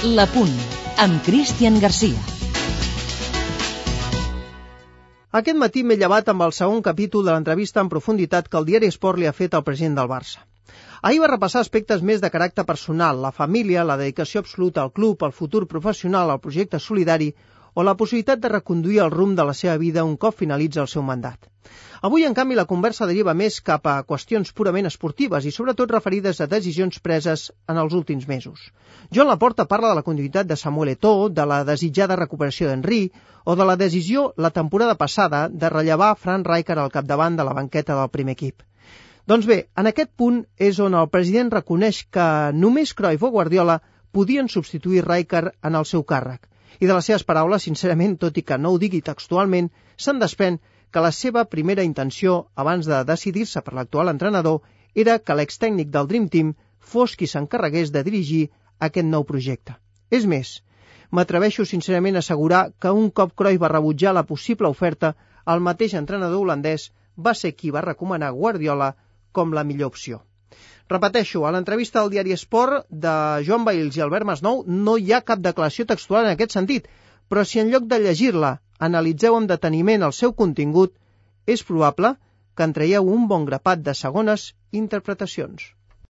La Punt, amb Cristian Garcia. Aquest matí m'he llevat amb el segon capítol de l'entrevista en profunditat que el diari Esport li ha fet al president del Barça. Ahir va repassar aspectes més de caràcter personal, la família, la dedicació absoluta al club, el futur professional, el projecte solidari o la possibilitat de reconduir el rumb de la seva vida un cop finalitza el seu mandat. Avui, en canvi, la conversa deriva més cap a qüestions purament esportives i sobretot referides a decisions preses en els últims mesos. Joan Laporta parla de la continuïtat de Samuel Eto'o, de la desitjada recuperació d'Henry o de la decisió la temporada passada de rellevar Frank Rijkaard al capdavant de la banqueta del primer equip. Doncs bé, en aquest punt és on el president reconeix que només Cruyff o Guardiola podien substituir Rijkaard en el seu càrrec. I de les seves paraules, sincerament, tot i que no ho digui textualment, se'n desprèn que la seva primera intenció, abans de decidir-se per l'actual entrenador, era que l'extècnic del Dream Team fos qui s'encarregués de dirigir aquest nou projecte. És més, m'atreveixo sincerament a assegurar que un cop Cruyff va rebutjar la possible oferta, el mateix entrenador holandès va ser qui va recomanar Guardiola com la millor opció. Repeteixo, a l'entrevista del diari Esport de Joan Bailes i Albert Masnou no hi ha cap declaració textual en aquest sentit, però si en lloc de llegir-la analitzeu amb deteniment el seu contingut, és probable que en traieu un bon grapat de segones interpretacions.